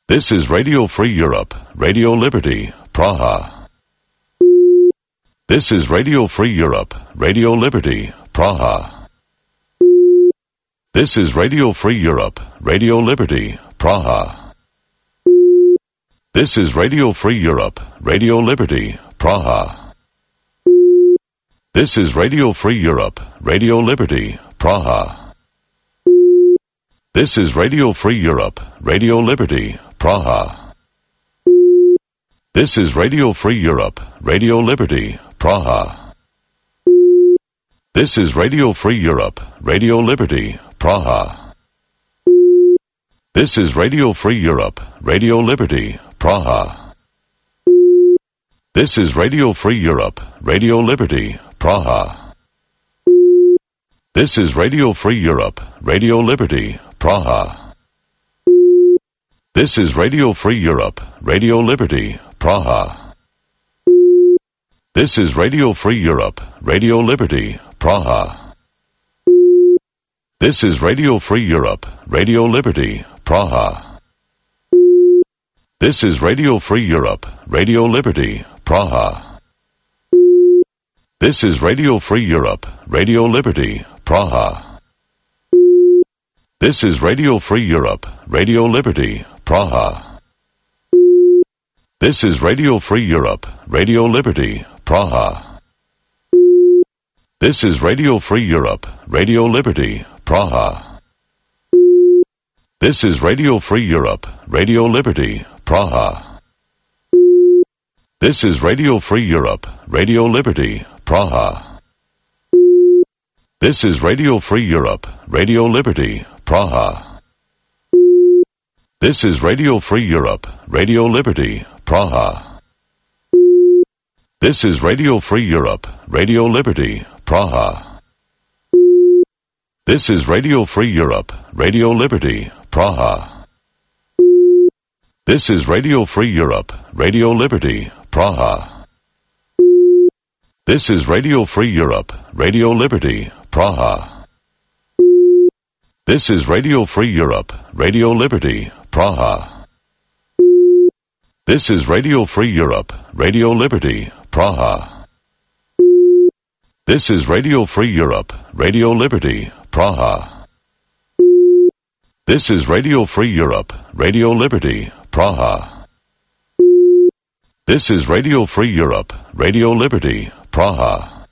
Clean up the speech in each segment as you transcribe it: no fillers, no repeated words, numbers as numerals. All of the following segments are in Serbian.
This is Radio Free Europe, Radio Liberty, Praha. This is Radio Free Europe, Radio Liberty, Praha. This is Radio Free Europe, Radio Liberty, Praha. This is Radio Free Europe, Radio Liberty, Praha. This is Radio Free Europe, Radio Liberty, Praha. This is Radio Free Europe, Radio Liberty, Praha. This is Radio Free Europe, Radio Liberty, Praha. This is Radio Free Europe, Radio Liberty, Praha. This is Radio Free Europe, Radio Liberty, Praha. This is Radio Free Europe, Radio Liberty, Praha. This is Radio Free Europe, Radio Liberty, Praha. This is Radio Free Europe, Radio Liberty, Praha. This is Radio Free Europe, Radio Liberty, Praha. This is Radio Free Europe, Radio Liberty, Praha. This is Radio Free Europe, Radio Liberty, Praha. This is Radio Free Europe, Radio Liberty, Praha. This is Radio Free Europe, Radio Liberty, Praha. This is Radio Free Europe, Radio Liberty, Praha. This is Radio Free Europe, Radio Liberty, Praha. This is Radio Free Europe, Radio Liberty, Praha. This is Radio Free Europe, Radio Liberty, Praha. This is Radio Free Europe, Radio Liberty, Praha. This is Radio Free Europe, Radio Liberty, Praha. This is Radio Free Europe, Radio Liberty, Praha. This is Radio Free Europe, Radio Liberty, Praha. This is Radio Free Europe, Radio Liberty, Praha. This is Radio Free Europe, Radio Liberty, Praha. This is Radio Free Europe, Radio Liberty, Praha. This is Radio Free Europe, Radio Liberty, Praha. This is Radio Free Europe, Radio Liberty, Praha. This is Radio Free Europe, Radio Liberty, Praha. This is Radio Free Europe, Radio Liberty, Praha.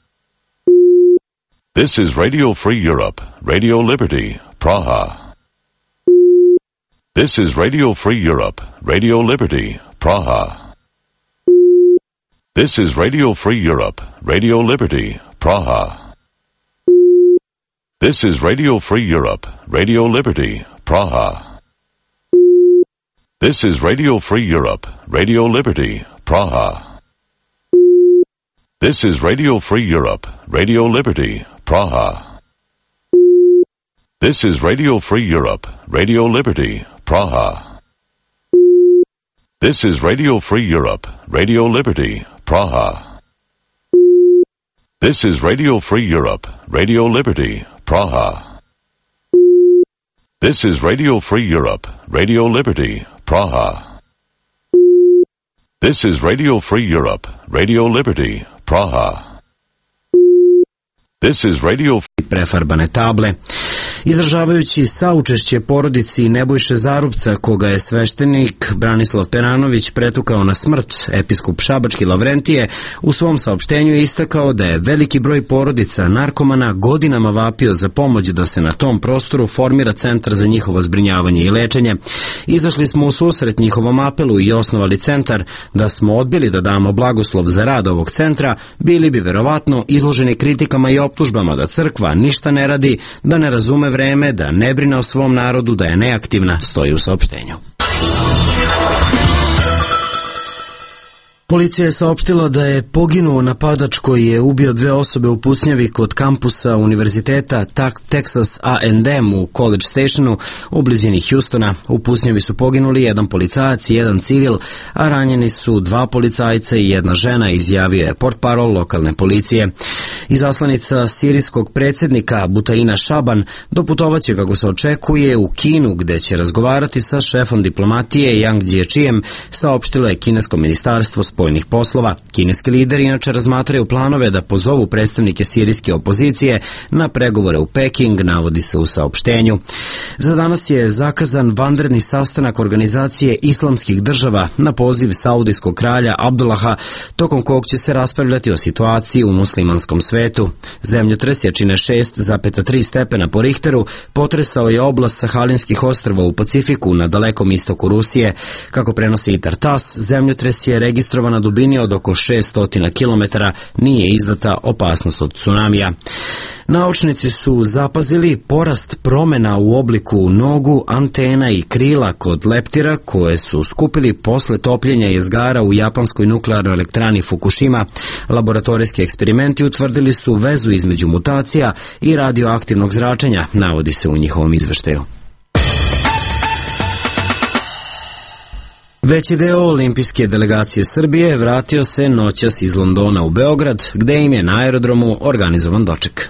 This is Radio Free Europe, Radio Liberty, Praha. This is Radio Free Europe, Radio Liberty, Praha. This is Radio Free Europe, Radio Liberty, Praha. This is Radio Free Europe, Radio Liberty, Praha. This is Radio Free Europe, Radio Liberty, Praha. This is Radio Free Europe, Radio Liberty, Praha. This is Radio Free Europe, Radio Liberty, Praha. This is Radio Free Europe, Radio Liberty, Praha. This is Radio Free Europe, Radio Liberty, Praha. This is Radio Free Europe, Radio Liberty, Praha. This is Radio Free Europe, Radio Liberty, Praha. This is Radio prefarbane table. Izražavajući saučešće porodici Nebojše Zarubca, koga je sveštenik Branislav Peranović pretukao na smrt, episkop Šabački Lavrentije u svom saopštenju je istakao da je veliki broj porodica narkomana godinama vapio za pomoć da se na tom prostoru formira centar za njihovo zbrinjavanje i lečenje. Izašli smo u susret njihovom apelu i osnovali centar. Da smo odbili da damo blagoslov za rad ovog centra, bili bi verovatno izloženi kritikama i optužbama da crkva ništa ne radi, da ne razume vreme, da ne brine o svom narodu, da je neaktivna, stoji u saopštenju. Policija je saopštila da je poginuo napadač koji je ubio 2 osobe u pucnjavi kod kampusa univerziteta Texas A&M u College Stationu u blizini Houstona. U pucnjavi su poginuli 1 policajac i 1 civil, a ranjeni su 2 policajca i 1 žena, izjavio je portparol lokalne policije. Izaslanica sirijskog predsjednika Butaina Šaban doputovaće, kako se očekuje, u Kinu, gde će razgovarati sa šefom diplomatije Yang Jiechijem, saopštilo je kinesko ministarstvo spoljnih poslova. Kineski lideri inače razmatraju planove da pozovu predstavnike sirijske opozicije na pregovore u Peking, navodi se u saopštenju. Za danas je zakazan vanredni sastanak organizacije islamskih država na poziv saudijskog kralja Abdullaha, tokom kog će se raspravljati o situaciji u muslimanskom svetu. Zemljotres jačine 6,3 stepena po Richteru potresao je oblast Sahalinskih ostrva u Pacifiku na dalekom istoku Rusije. Kako prenosi Itar TASS, zemljotres je registrovan na dubini od oko 600 km, nije izdata opasnost od tsunamija. Naučnici su zapazili porast promjena u obliku nogu, antena i krila kod leptira koje su skupili posle topljenja jezgara u japanskoj nuklearnoj elektrani Fukushima. Laboratorijski eksperimenti utvrdili su vezu između mutacija i radioaktivnog zračenja, navodi se u njihovom izveštaju. Veći deo olimpijske delegacije Srbije vratio se noćas iz Londona u Beograd, gde im je na aerodromu organizovan doček.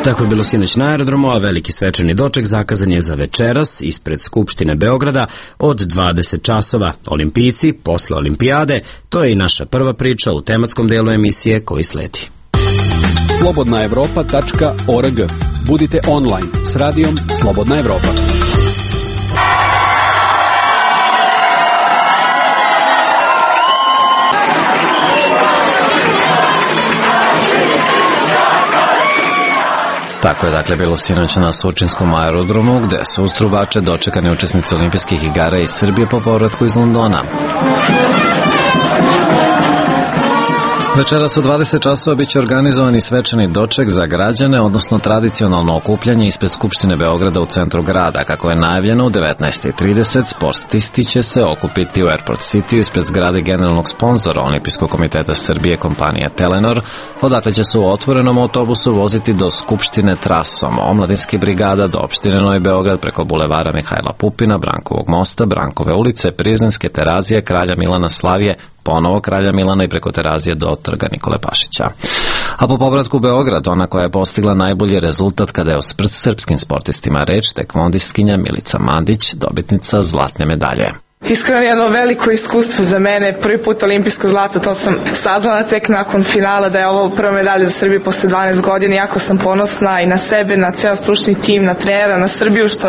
Tako je bilo sinoć na aerodromu, a veliki svečani doček zakazan je za večeras ispred Skupštine Beograda od 20 časova. Olimpijci posle olimpijade, to je i naša prva priča u tematskom delu emisije koji sledi. slobodnaevropa.org. Budite online s radijom Slobodna Evropa. Tako je dakle bilo sinoć na Surčinskom aerodromu, gde su uz trubače dočekani učesnici olimpijskih igara iz Srbije po povratku iz Londona. Večeras u 20 časova biće organizovani svečani doček za građane, odnosno tradicionalno okupljanje ispred Skupštine Beograda u centru grada. Kako je najavljeno, u 19:30 sportisti će se okupiti u Airport City ispred zgrade generalnog sponzora Olimpijskog komiteta Srbije, kompanija Telenor, odakle će se u otvorenom autobusu voziti do Skupštine trasom Omladinskih brigada do opštine Novi Beograd preko bulevara Mihajla Pupina, Brankovog mosta, Brankove ulice, Prizrenske, Terazije, Kralja Milana, Slavije, ponovo Kralja Milana i preko Terazije do trga Nikole Pašića. A po povratku u Beograd, ona koja je postigla najbolji rezultat kada je o srpskim sportistima reč, tekvondistkinja Milica Mandić, dobitnica zlatne medalje. Iskreno jedno veliko iskustvo za mene, prvi put olimpijsko zlato, to sam saznala tek nakon finala da je ovo prva medalja za Srbiju posle 12 godina. Jako sam ponosna i na sebe, na ceo stručni tim, na trenera, na Srbiju što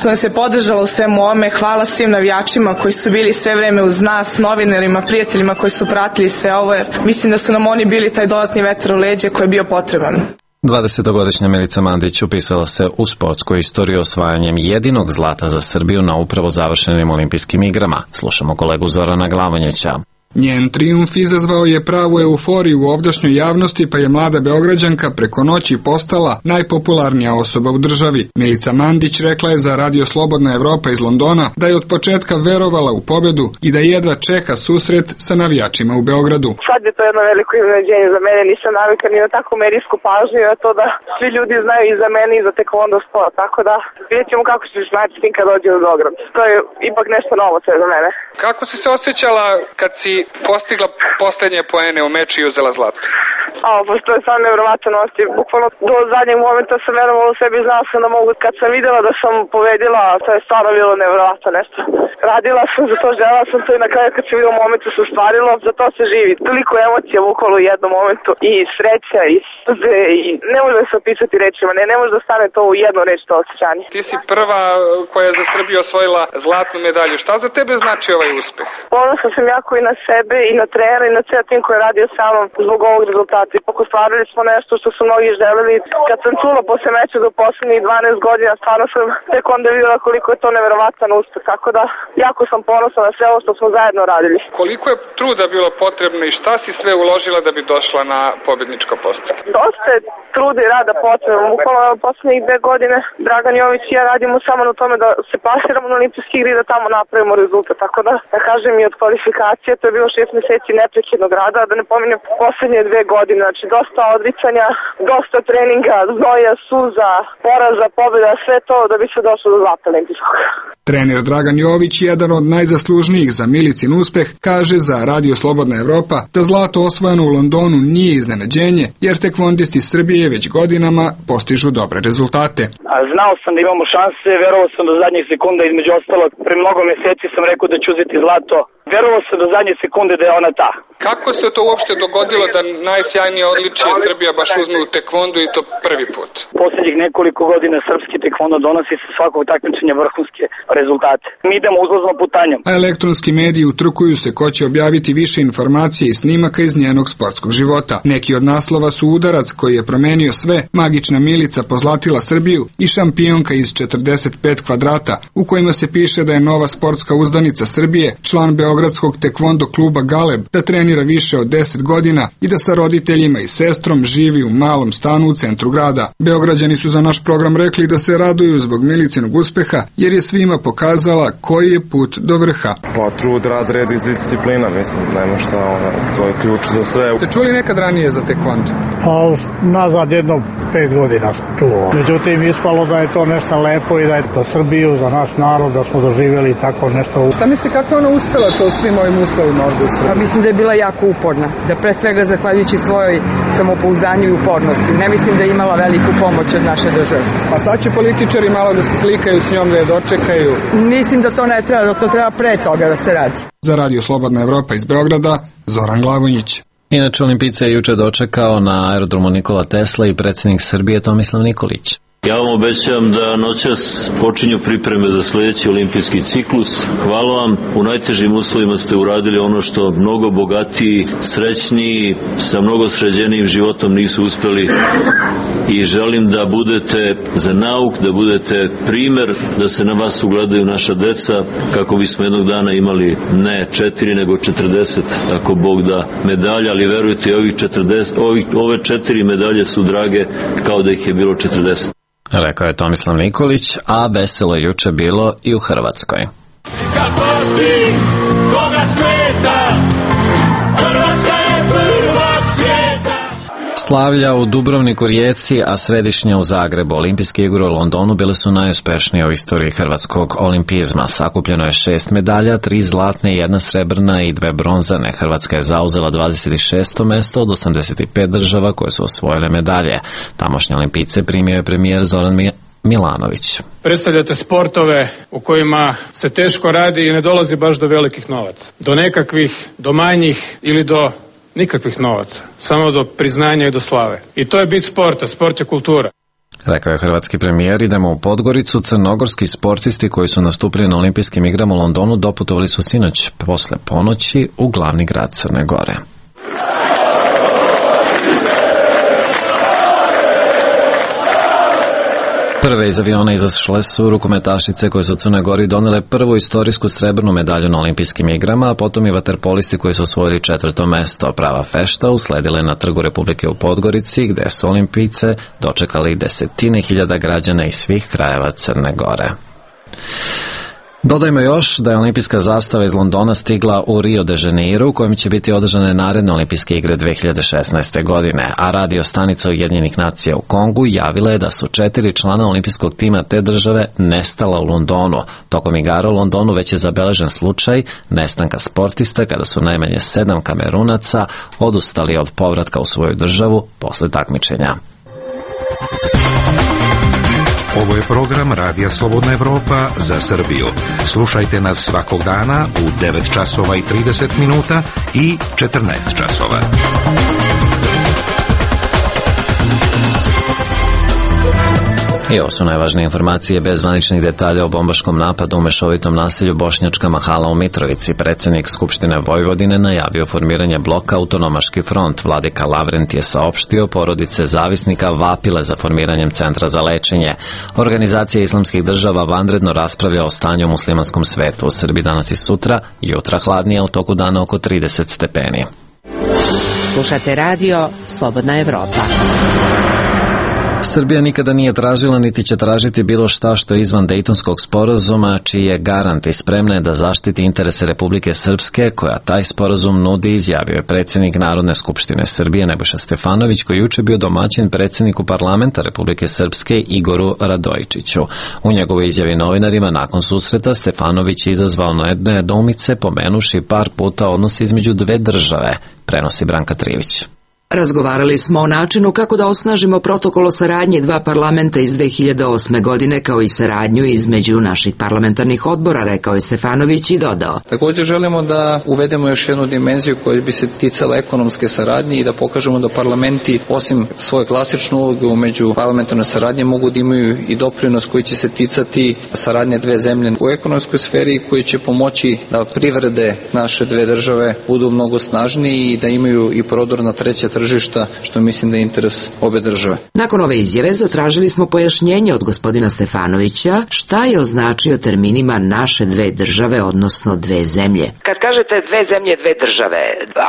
nas je podržalo u svemu ome. Hvala svim navijačima koji su bili sve vreme uz nas, novinarima, prijateljima koji su pratili sve ovo, jer mislim da su nam oni bili taj dodatni vetar u leđe koji je bio potreban. 20-godišnja Milica Mandić upisala se u sportsku istoriju osvajanjem jedinog zlata za Srbiju na upravo završenim olimpijskim igrama. Slušamo kolegu Zorana Glavonjeća. Njen trijumf izazvao je pravu euforiju u ovdašnjoj javnosti, pa je mlada Beograđanka preko noći postala najpopularnija osoba u državi. Milica Mandić rekla je za Radio Slobodna Evropa iz Londona da je od početka verovala u pobedu i da jedva čeka susret sa navijačima u Beogradu. Sad je to jedno veliko iznenađenje za mene, nisam navika ni na takvu medijsku pažnju, a to da svi ljudi znaju i za mene i za tekvondo sport, tako da vidjet ćemo kako će se snaći s tim kad dođe u Beograd. To je ipak nešto novo sve za mene. Kako si se osjećala kad si postigla poslednje poene u meču i uzela zlato? To je stvarno nevjerovatan osjećaj. Bukvalno do zadnjeg momenta sam verovala u sebi, znala sam da mogu. Kad sam videla da sam pobedila, to je stvarno bilo nevjerovatno nešto. Radila sam za to, želela sam to i na kraju kad se vidio momentu se ostvarilo, za to se živi. Toliko emocija bukvalno u jednom momentu, i sreća, i suze, i ne može da se opisati rečima, ne može da stane to u jednu reč, to osjećanje. Ti si prva koja je za Srbiju osvojila zlatnu medalju. Šta za tebe znači ovaj uspeh? Ponosna sam jako i na sebe, i na trenera, i na ceo tim koji je radio sa mnom zbog ovog rezultata. ipak ostvarili smo nešto što su mnogi želeli. Kad sam čula posle meča do poslednjih 12 godina, stvarno sam tek onda videla koliko je to neverovatan uspeh, tako da jako sam ponosna na sve ovo što smo zajedno radili. Koliko je truda bilo potrebno i šta si sve uložila da bi došla na pobedničko postolje? Dosta je truda i rada potrebno. Bukvalno poslednjih 2 godine Dragan Jović i ja radimo samo na tome da se plasiramo na olimpijski igre i da tamo napravimo rezultat. Tako da kažem i od kvalifikacije, to je bilo 6 meseci neprekidnog rada, da ne pominjem poslednje 2 godine. Znači dosta odricanja, dosta treninga, znoja, suza, poraza, pobjeda, sve to da bi se došlo do zlata olimpijskog. Trener Dragan Jović, jedan od najzaslužnijih za Milicin uspeh, kaže za Radio Slobodna Evropa da zlato osvojeno u Londonu nije iznenađenje, jer tekvondisti Srbije već godinama postižu dobre rezultate. Znao sam da imamo šanse, verovao sam do zadnjih sekunda, između ostalog, pre mnogo meseci sam rekao da ću uzeti zlato. Verovao sam do zadnje sekunde da je ona ta. Kako se to uopšte dogodilo da najsjajnije odličije Srbija baš uzme u tekvondu i to prvi put? Poslednjih nekoliko godina srpski tekvondo donosi sa svakog takmičenja vrhunske rezultate. Mi idemo uzlaznom putanjom. A elektronski mediji utrkuju se ko će objaviti više informacije i snimaka iz njenog sportskog života. Neki od naslova su Udarac koji je promenio sve, Magična Milica pozlatila Srbiju i Šampionka iz 45 kvadrata, u kojima se piše da je nova sportska uzdanica Srbije, član Beogradskog tekvondo kluba Galeb, da trenira više od 10 godina i da sa roditeljima i sestrom živi u malom stanu u centru grada. Beograđani su za naš program rekli da se raduju zbog Milicinog uspeha, jer je svima pokazala koji je put do vrha. Pa trud, rad, red i disciplina, mislim, nema šta, to je ključ za sve. Ste čuli nekad ranije za tekvondo? Pa nazad jedno 5 godina sam čuo. Međutim, ispalo da je to nešto lepo i da je za Srbiju, za naš narod, da smo doživjeli tako nešto. Šta mislite kako ona uspela to svim ovim uslovima ovde u Srbiji? Pa mislim da je bila jako uporna, da pre svega zahvaljujući svojoj samopouzdanju i upornosti. Ne mislim da je imala veliku pomoć od naše države. Pa sad će političari malo da se slikaju s njom, da je dočekaju. Mislim da to ne treba, da to treba pre toga da se radi. Za Radio Slobodna Evropa iz Beograda, Zoran Glavonjić. Inače, Olimpijice je juče dočekao na aerodromu Nikola Tesla i predsjednik Srbije Tomislav Nikolić. Ja vam obećavam da noćas počinju pripreme za sledeći olimpijski ciklus. Hvala vam, u najtežim uslovima ste uradili ono što mnogo bogatiji, srećniji, sa mnogo sređenijim životom nisu uspeli i želim da budete za nauk, da budete primer, da se na vas ugledaju naša deca, kako bismo jednog dana imali ne 4 nego 40, ako Bog da, medalja, ali verujte, ove 4 medalje su drage kao da ih je bilo 40. Rekao je Tomislav Nikolić, a veselo je juče bilo i u Hrvatskoj. Slavlja u Dubrovniku, Rijeci, a središnja u Zagrebu. Olimpijske igre u Londonu bile su najuspešnije u istoriji hrvatskog olimpizma. Sakupljeno je 6 medalja, 3 zlatne, 1 srebrna i 2 bronzane. Hrvatska je zauzela 26. mesto od 85 država koje su osvojile medalje. Tamošnje Olimpijce primio je premijer Zoran Milanović. Predstavljate sportove u kojima se teško radi i ne dolazi baš do velikih novaca. Do nekakvih, do manjih ili do nikakvih novaca. Samo do priznanja i do slave. I to je bit sporta. Sport je kultura. Rekao je hrvatski premijer. Idemo u Podgoricu. Crnogorski sportisti koji su nastupili na olimpijskim igrama u Londonu doputovali su sinoć posle ponoći u glavni grad Crne Gore. Prve iz aviona izašle su rukometašice koje su Crnoj Gori donele prvu istorijsku srebrnu medalju na olimpijskim igrama, a potom i vaterpolisti koji su osvojili 4. mesto. Prava fešta usledile na Trgu Republike u Podgorici, gde su Olimpijce dočekali desetine hiljada građana iz svih krajeva Crne Gore. Dodajmo još da je olimpijska zastava iz Londona stigla u Rio de Janeiro, u kojem će biti održane naredne olimpijske igre 2016. godine, a radio stanica Ujedinjenih nacija u Kongu javila je da su 4 člana olimpijskog tima te države nestala u Londonu. Tokom igara u Londonu već je zabeležen slučaj nestanka sportista kada su najmanje 7 Kamerunaca odustali od povratka u svoju državu posle takmičenja. Ovo je program Radija Slobodna Evropa za Srbiju. Slušajte nas svakog dana u 9 časova i 30 minuta i 14 časova. I ovo su najvažnije informacije bez zvaničnih detalja o bombaškom napadu u mešovitom naselju Bošnjačka Mahala u Mitrovici. Predsjednik Skupštine Vojvodine najavio formiranje bloka Autonomaški front. Vladika Lavrent je saopštio, porodice zavisnika vapile za formiranjem centra za lečenje. Organizacija islamskih država vanredno raspravlja o stanju u muslimanskom svetu. U Srbiji danas i sutra, jutra hladnije, u toku dana oko 30 stepeni. Slušate radio Slobodna Evropa. Srbija nikada nije tražila niti će tražiti bilo šta što je izvan Dejtonskog sporazuma, čiji je garant i spremna je da zaštiti interese Republike Srpske, koja taj sporazum nudi, izjavio je predsjednik Narodne skupštine Srbije Nebojša Stefanović, koji juče bio domaćin predsjedniku parlamenta Republike Srpske Igoru Radojičiću. U njegovoj izjavi novinarima nakon susreta Stefanović je izazvao nedoumice, pomenuši par puta odnos između dve države, prenosi Branka Trivić. Razgovarali smo o načinu kako da osnažimo protokol o saradnji dva parlamenta iz 2008. godine, kao i saradnju između naših parlamentarnih odbora, rekao je Stefanović i dodao. Također želimo da uvedemo još jednu dimenziju koja bi se ticala ekonomske saradnje i da pokažemo da parlamenti, osim svoje klasične uloge u međuparlamentarnoj saradnji, mogu da imaju i doprinos koji će se ticati saradnje dve zemlje u ekonomskoj sferi, koji će pomoći da privrede naše dve države budu mnogo snažniji i da imaju i prodor na treće tržišta, što mislim da je interes obe države. Nakon ove izjave zatražili smo pojašnjenje od gospodina Stefanovića šta je označio terminima naše dve države, odnosno dve zemlje. Kad kažete dve zemlje, dve države,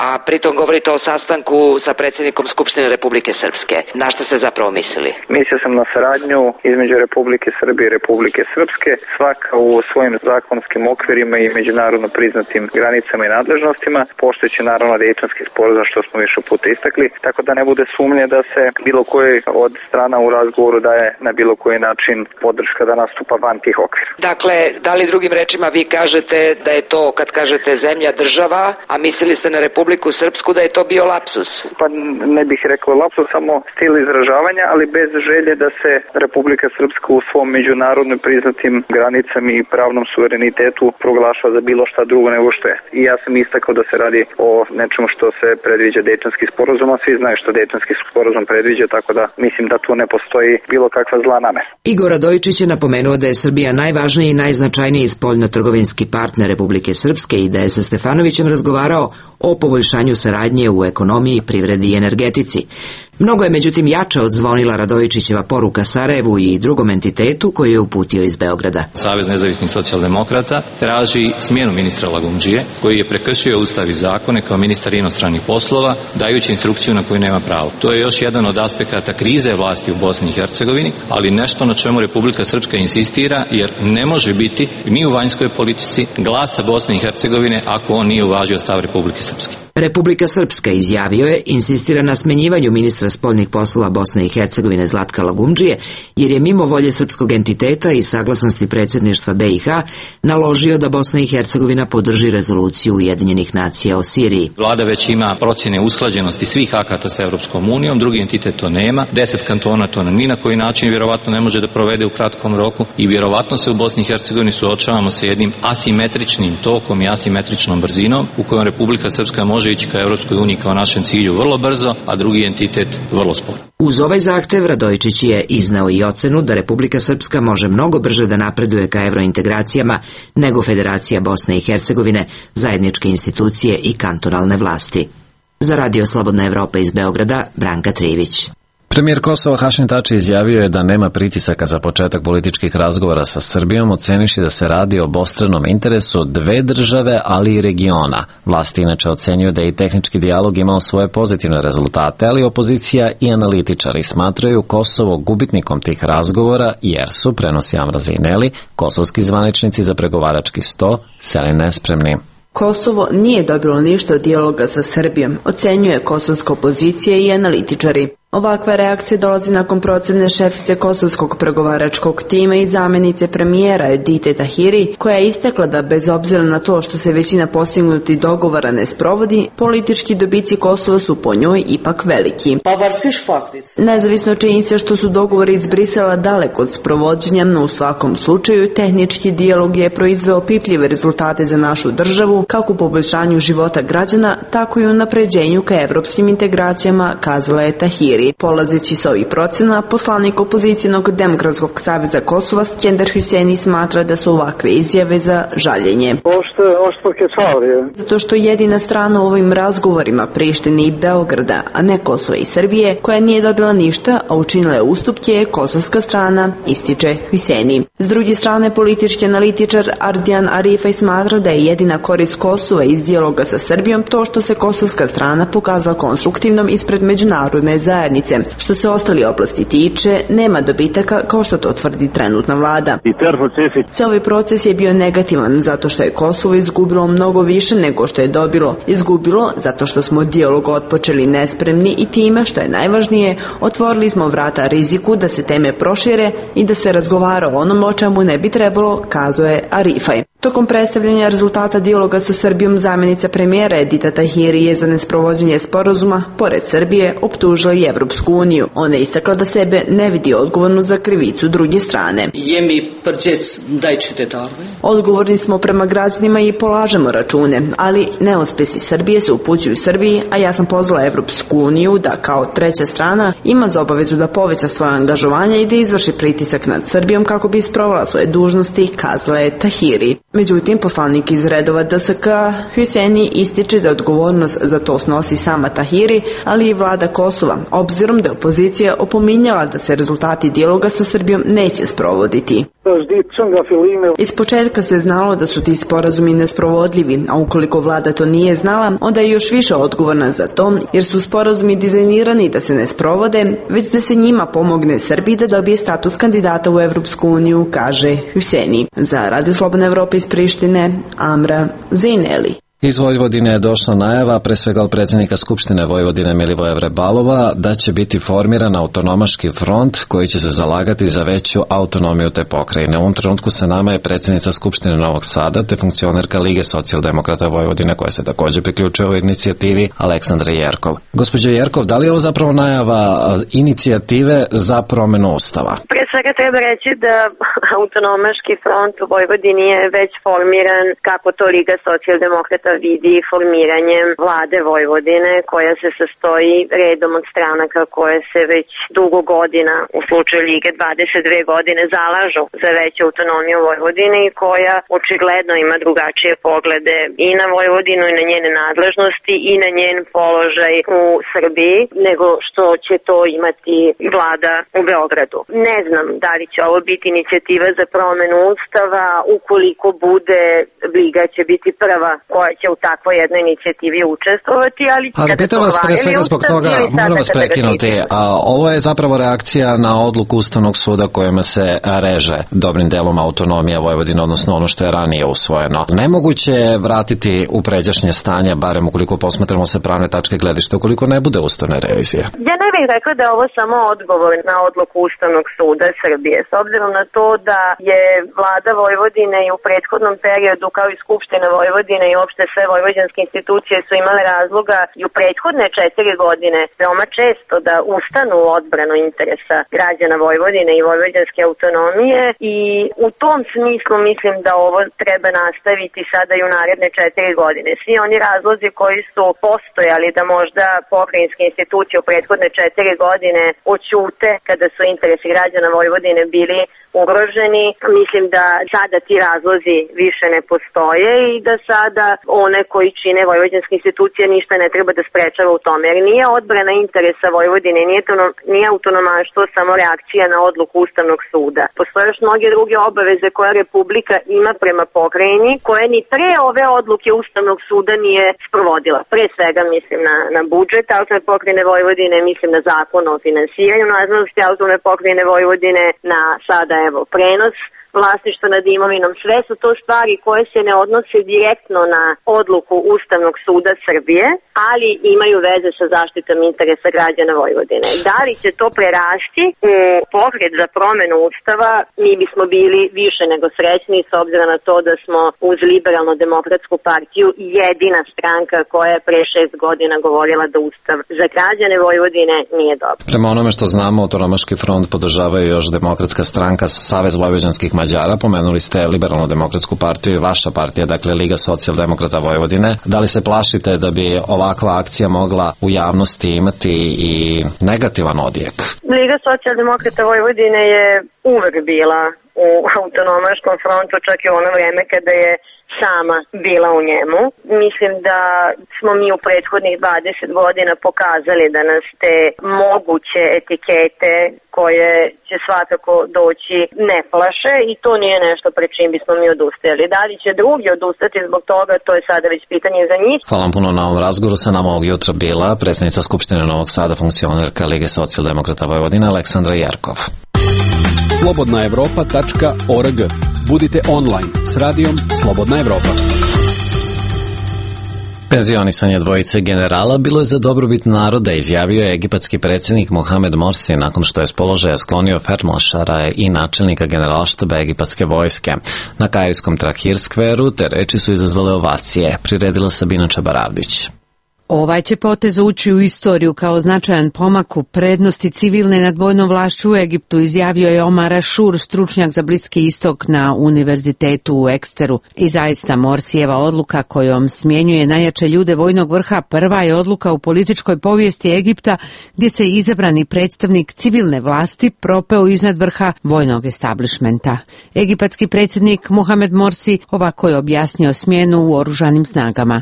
a pritom govorite o sastanku sa predsjednikom Skupštine Republike Srpske, na što ste zapravo mislili? Mislio sam na saradnju između Republike Srbije i Republike Srpske, svaka u svojim zakonskim okvirima i međunarodno priznatim granicama i nadležnostima, poštujući naravno Dejtonski sporazum, što smo više puta istakli, tako da ne bude sumnje da se bilo koji od strana u razgovoru daje na bilo koji način podrška da nastupa van tih okvira. Dakle, da li drugim rečima vi kažete da je to, kad kažete zemlja, država, a mislili ste na Republiku Srpsku, da je to bio lapsus? Pa ne bih rekao lapsus, samo stil izražavanja, ali bez želje da se Republika Srpska u svom međunarodno priznatim granicama i pravnom suverenitetu proglašava za bilo šta drugo nego što je. I ja sam istakao da se radi o nečemu što se predviđa Dejtonski sporazum, a svi znaju što Dejtonski sporazum predviđa, tako da mislim da tu ne postoji bilo kakva zla namera. Igor Radojičić je napomenuo da je Srbija najvažniji i najznačajniji spoljno-trgovinski partner Republike Srpske i da je sa Stefanovićem razgovarao o poboljšanju saradnje u ekonomiji, privredi i energetici. Mnogo je međutim jača odzvonila Radojičićeva poruka Sarajevu i drugom entitetu koji je uputio iz Beograda. Savez nezavisnih socijaldemokrata traži smjenu ministra Lagumdžije, koji je prekršio Ustav i zakone kao ministar inostranih poslova, dajući instrukciju na koju nema pravo. To je još jedan od aspekata krize vlasti u Bosni i Hercegovini, ali nešto na čemu Republika Srpska insistira, jer ne može biti ni u vanjskoj politici glasa Bosne i Hercegovine ako on nije uvažio stav Republike Srpske. Republika Srpska, izjavio je, insistira na smenjivanju ministra spoljnih poslova Bosne i Hercegovine Zlatka Lagumdžije, jer je mimo volje srpskog entiteta i saglasnosti predsjedništva BiH naložio da Bosna i Hercegovina podrži rezoluciju Ujedinjenih nacija o Siriji. Vlada već ima procjene usklađenosti svih akata sa Europskom unijom, drugi entitet to nema, 10 kantona to ni na koji način vjerovatno ne može da provede u kratkom roku i vjerovatno se u Bosni i Hercegovini suočavamo sa jednim asimetričnim tokom i asimetričnom brzinom u kojom Republika Srpska može ići ka Europskoj uniji kao našem cilju vrlo brzo, a drugi entitet vrlo sporo. Uz ovaj zahtev Radojičić je iznao i ocenu da Republika Srpska može mnogo brže da napreduje ka evrointegracijama nego Federacija Bosne i Hercegovine, zajedničke institucije i kantonalne vlasti. Za Radio Slobodna Evropa iz Beograda, Branka Trivić. Premijer Kosova Hašim Tači izjavio je da nema pritisaka za početak političkih razgovora sa Srbijom, oceniši da se radi o obostranom interesu dve države, ali i regiona. Vlasti inače ocenjuju da je i tehnički dijalog imao svoje pozitivne rezultate, ali opozicija i analitičari smatraju Kosovo gubitnikom tih razgovora jer su, prenosi Amra Zineli, kosovski zvaničnici za pregovarački sto seli nespremni. Kosovo nije dobilo ništa od dijaloga sa Srbijom, ocenjuje kosovska opozicija i analitičari. Ovakva reakcija dolazi nakon procene šefice kosovskog pregovaračkog tima i zamjenice premijera Edite Tahiri, koja je istakla da bez obzira na to što se većina postignutih dogovora ne sprovodi, politički dobici Kosova su po njoj ipak veliki. Nezavisno od činjenice što su dogovori iz Brisela daleko od sprovođenja, no u svakom slučaju tehnički dijalog je proizveo pipljive rezultate za našu državu, kako u poboljšanju života građana, tako i u napređenju ka evropskim integracijama, kazala je Tahiri. Tahiri. Polazeći s ovih procena, poslanik opozicijnog Demokratskog saveza Kosova Skender Hüseni smatra da su ovakve izjave za žaljenje. Zato što jedina strana u ovim razgovorima Prištine i Beograda, a ne Kosova i Srbije, koja nije dobila ništa, a učinila je ustupke, je kosovska strana, ističe Hüseni. S druge strane, politički analitičar Ardian Arifaj smatra da je jedina korist Kosova iz dijaloga sa Srbijom to što se kosovska strana pokazala konstruktivnom ispred međunarodne zajednice. Što se ostali oblasti tiče, nema dobitaka kao što to tvrdi trenutna vlada. Cijeli proces je bio negativan zato što je Kosovo izgubilo mnogo više nego što je dobilo. Izgubilo zato što smo dijalog otpočeli nespremni i time, što je najvažnije, otvorili smo vrata riziku da se teme prošire i da se razgovara o onom o čemu ne bi trebalo, kazuje Arifaj. Tokom predstavljanja rezultata dijaloga sa Srbijom, zamjenica premijera Edita Tahiri je za nesprovođenje sporazuma, pored Srbije, optužila i Evropsku uniju. Ona je istakla da sebe ne vidi odgovornu za krivicu druge strane. Odgovorni smo prema građanima i polažemo račune, ali neuspesi Srbije se upućuju Srbiji, a ja sam pozvala Evropsku uniju da kao treća strana ima za obavezu da poveća svoje angažovanje i da izvrši pritisak nad Srbijom kako bi isprovala svoje dužnosti, kazala je Tahiri. Međutim, poslanik iz redova DSK Hüseni ističe da odgovornost za to snosi sama Tahiri, ali i vlada Kosova, obzirom da je opozicija opominjala da se rezultati dijaloga sa Srbijom neće sprovoditi. Iz početka se znalo da su ti sporazumi nesprovodljivi, a ukoliko vlada to nije znala, onda je još više odgovorna za to, jer su sporazumi dizajnirani da se ne sprovode, već da se njima pomogne Srbiji da dobije status kandidata u Evropsku uniju, kaže Hüseni. Za Radio Slobodna Evropa iz Prištine, Amra Zejneli. Iz Vojvodine je došla najava, pre svega od predsjednika Skupštine Vojvodine Milivoja Vrebalova, da će biti formiran autonomaški front koji će se zalagati za veću autonomiju te pokrajine. U ovom trenutku sa nama je predsjednica Skupštine Novog Sada te funkcionerka Lige socijaldemokrata Vojvodine koja se također priključuje ovoj inicijativi, Aleksandra Jerkov. Gospođo Jerkov, da li je ovo zapravo najava inicijative za promjenu Ustava? Pre svega treba reći da autonomaški front u Vojvodini je već formiran, kako to Liga socijaldemokrata vidi, formiranjem vlade Vojvodine koja se sastoji redom od stranaka koje se već dugo godina, u slučaju Lige 22 godine, zalažu za veću autonomiju Vojvodine i koja očigledno ima drugačije poglede i na Vojvodinu i na njene nadležnosti i na njen položaj u Srbiji nego što će to imati vlada u Beogradu. Ne znam da li će ovo biti inicijativa za promenu Ustava, ukoliko bude, Liga će biti prva koja će u takvoj jednoj inicijativi učestvovati, ali pitam vas pre svega zbog toga, moram vas prekinuti, a ovo je zapravo reakcija na odluku Ustavnog suda kojima se reže dobrim delom autonomija Vojvodine, odnosno ono što je ranije usvojeno. Nemoguće je vratiti u pređašnje stanje, barem ukoliko posmatramo sa pravne tačke gledišta, ukoliko ne bude ustavne revizije. Ja ne bih rekla da je ovo samo odgovor na odluku Ustavnog suda Srbije, s obzirom na to da je vlada Vojvodine i u prethodnom periodu, kao i Skupština Vojvodine i uopšte sve vojvođanske institucije su imale razloga i u prethodne 4 godine veoma često da ustanu u odbranu interesa građana Vojvodine i vojvođanske autonomije i u tom smislu mislim da ovo treba nastaviti sada i u naredne 4 godine. Svi oni razlozi koji su postojali da možda pokrajinske institucije u prethodne 4 godine oćute kada su interesi građana Vojvodine bili ugroženi, mislim da sada ti razlozi više ne postoje i da sada one koji čine vojvođanske institucije ništa ne treba da sprečava u tome, jer nije odbrana interesa Vojvodine, nije autonomaštvo samo reakcija na odluku Ustavnog suda. Postoje još mnoge druge obaveze koje Republika ima prema pokrajini, koje ni pre ove odluke Ustavnog suda nije sprovodila. Pre svega mislim na budžet autonomne pokrajine Vojvodine, mislim na zakon o finansiranju nadležnosti autonomne pokrajine Vojvodine, na sada prenos vlasništva nad imovinom. Sve su to stvari koje se ne odnose direktno na odluku Ustavnog suda Srbije, ali imaju veze sa zaštitom interesa građana Vojvodine. Da li će to prerasti u pokret za promenu Ustava, mi bismo bili više nego srećni s obzirom na to da smo uz Liberalno-demokratsku partiju jedina stranka koja je pre 6 godina govorila da Ustav za građane Vojvodine nije dobar. Prema onome što znamo, autonomaški front podržavaju još Demokratska stranka, Savez vojvođanskih Mađara, pomenuli ste Liberalno-demokratsku partiju i vaša partija, dakle Liga socijaldemokrata Vojvodine. Da li se plašite da bi ovakva akcija mogla u javnosti imati i negativan odjek? Liga socijaldemokrata Vojvodine je uvek bila u autonomaškom frontu, čak i u ono vreme kada je sama bila u njemu. Mislim da smo mi u prethodnih 20 godina pokazali da nas te moguće etikete koje će svakako doći ne plaše i to nije nešto pred čim bismo mi odustajali. Da li će drugi odustati zbog toga, to je sada već pitanje za njih. Hvala vam puno na ovom razgovoru. Sa nama ovog jutra bila predsjednica Skupštine Novog Sada, funkcionerka Lige socijaldemokrata Vojvodine Aleksandra Jerkov. slobodnaevropa.org. Budite online s radijom Slobodna Evropa. Penzionisanje dvojice generala bilo je za dobrobit naroda, izjavio je egipatski predsjednik Mohamed Morsi nakon što je s položaja sklonio feldmaršala i načelnika generalštaba egipatske vojske. Na kairskom Tahrir skveru te reči su izazvale ovacije, priredila Sabina Čabaravdić. Ovaj će potez ući u istoriju kao značajan pomak u prednosti civilne nad vojnom vlašću u Egiptu, izjavio je Omar Ashur, stručnjak za Bliski istok na univerzitetu u Eksteru. I zaista Morsijeva odluka kojom smjenjuje najjače ljude vojnog vrha prva je odluka u političkoj povijesti Egipta gdje se izabrani predstavnik civilne vlasti propeo iznad vrha vojnog establishmenta. Egipatski predsjednik Mohamed Morsi ovako je objasnio smjenu u oružanim snagama.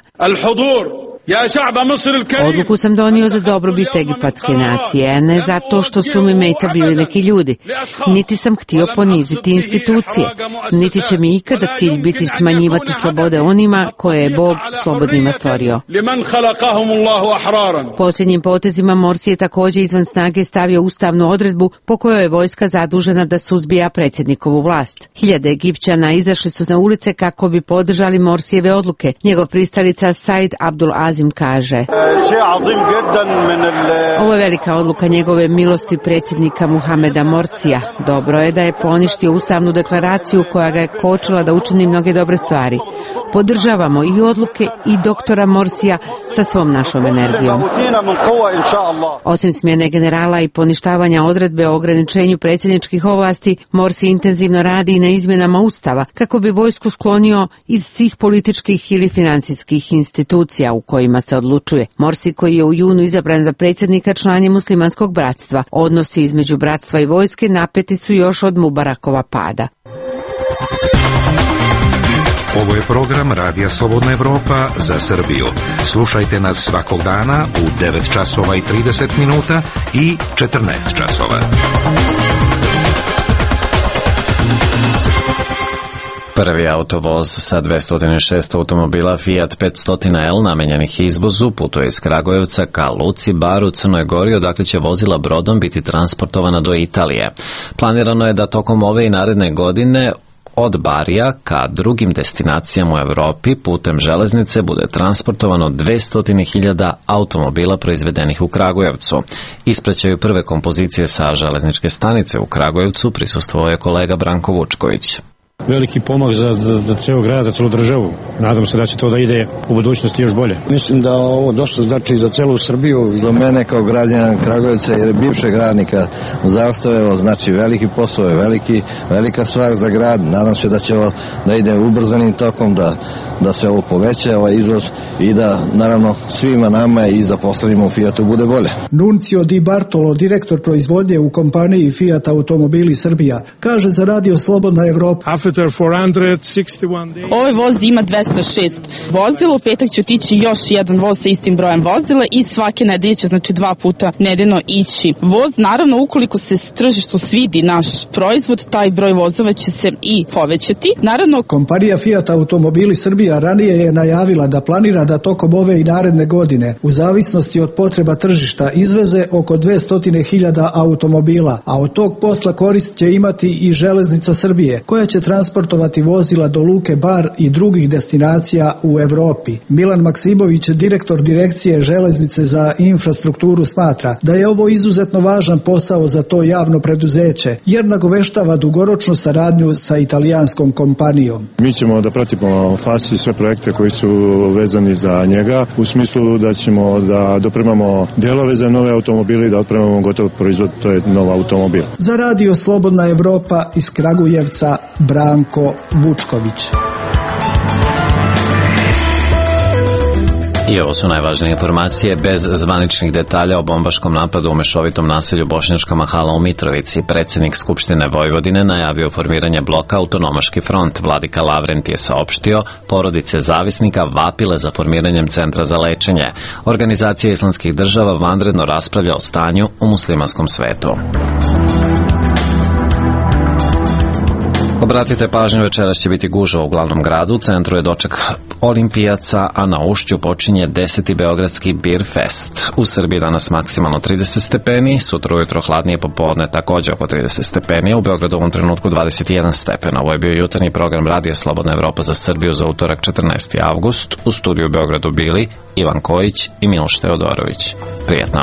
Odluku sam donio za dobrobit egipatske nacije, ne zato što su mi meta bili neki ljudi. Niti sam htio poniziti institucije, niti će mi ikada cilj biti smanjivati slobode onima koje je Bog slobodnima stvorio. Posljednjim potezima Morsi je također izvan snage stavio ustavnu odredbu po kojoj je vojska zadužena da suzbija predsjednikovu vlast. Hiljade Egipćana izašli su na ulice kako bi podržali Morsijeve odluke. Njegov pristalica Said Abdul Azim kaže: ovo je velika odluka njegove milosti predsjednika Muhameda Morsija. Dobro je da je poništio ustavnu deklaraciju koja ga je kočila da učini mnoge dobre stvari. Podržavamo i odluke i doktora Morsija sa svom našom energijom. Osim smjene generala i poništavanja odredbe o ograničenju predsjedničkih ovlasti, Morsi intenzivno radi i na izmjenama ustava kako bi vojsku sklonio iz svih političkih ili financijskih institucija u kojima se odlučuje. Morsi, koji je u junu izabran za predsjednika, član je muslimanskog bratstva. Odnosi između bratstva i vojske napeti su još od Mubarakova pada. Ovo je program Radija Slobodna Evropa za Srbiju. Slušajte nas svakog dana u 9 časova i 30 minuta i 14 časova. Prvi autovoz sa 206 automobila Fiat 500L namenjenih izvozu putuje iz Kragujevca ka luci Bar u Crnoj Gori, odakle će vozila brodom biti transportovana do Italije. Planirano je da tokom ove i naredne godine od Barija ka drugim destinacijama u Evropi putem železnice bude transportovano 200.000 automobila proizvedenih u Kragujevcu. Ispraćaju prve kompozicije sa železničke stanice u Kragujevcu prisustvovao je kolega Branko Vučković. Veliki pomak za ceo grad, za celu državu. Nadam se da će to da ide u budućnosti još bolje. Mislim da ovo dosta znači za celu Srbiju. Za mene kao građana Kragujevca jer bivšeg radnika Zastave, znači veliki posao je velika stvar za grad. Nadam se da će ovo da ide ubrzanim tokom, da se ovo poveća, ovaj izvoz i da naravno svima nama i zaposlenima u Fiatu bude bolje. Nuncio Di Bartolo, direktor proizvodnje u kompaniji Fiat Automobili Srbija, kaže za Radio Slobodna Evropa. Ovaj voz ima 206 vozila, u petak će otići još jedan voz sa istim brojem vozila i svake nedelje će, znači 2 puta nedeljno ići voz. Naravno, ukoliko se tržištu svidi naš proizvod, taj broj vozova će se i povećati. Naravno, kompanija Fiat Automobili Srbija ranije je najavila da planira da tokom ove i naredne godine, u zavisnosti od potreba tržišta, izveze oko 200.000 automobila, a od tog posla korist će imati i Železnica Srbije, koja će transportovati transportovati vozila do Luke Bar i drugih destinacija u Evropi. Milan Maksimović, direktor Direkcije železnice za infrastrukturu, smatra da je ovo izuzetno važan posao za to javno preduzeće, jer nagoveštava dugoročnu saradnju sa italijanskom kompanijom. Mi ćemo da pratimo FASI sve projekte koji su vezani za njega, u smislu da ćemo da dopremamo delove za nove automobile i da otpremamo gotov proizvod, to je nov automobil. Za Radio Slobodna Evropa iz Kragujevca, Branko Vučković. I ovo su najvažnije informacije. Bez zvaničnih detalja o bombaškom napadu u mešovitom naselju Bošnjačka Mahala u Mitrovici, predsjednik Skupštine Vojvodine najavio formiranje bloka Autonomaški front. Vladika Lavrent je saopštio, porodice zavisnika vapile za formiranjem centra za lečenje. Organizacija islamskih država vanredno raspravlja o stanju u muslimanskom svetu. Obratite pažnju, večeras će biti gužva u glavnom gradu, u centru je doček olimpijaca, a na Ušću počinje 10. beogradski Beer Fest. U Srbiji danas maksimalno 30 stepeni, sutra ujutro hladnije, popodne također oko 30 stepeni, u Beogradu u ovom trenutku 21 stepena. Ovo je bio jutarnji program Radija Slobodna Evropa za Srbiju za utorak 14. avgust. U studiju u Beogradu bili Ivan Kojić i Miloš Teodorović. Prijetno.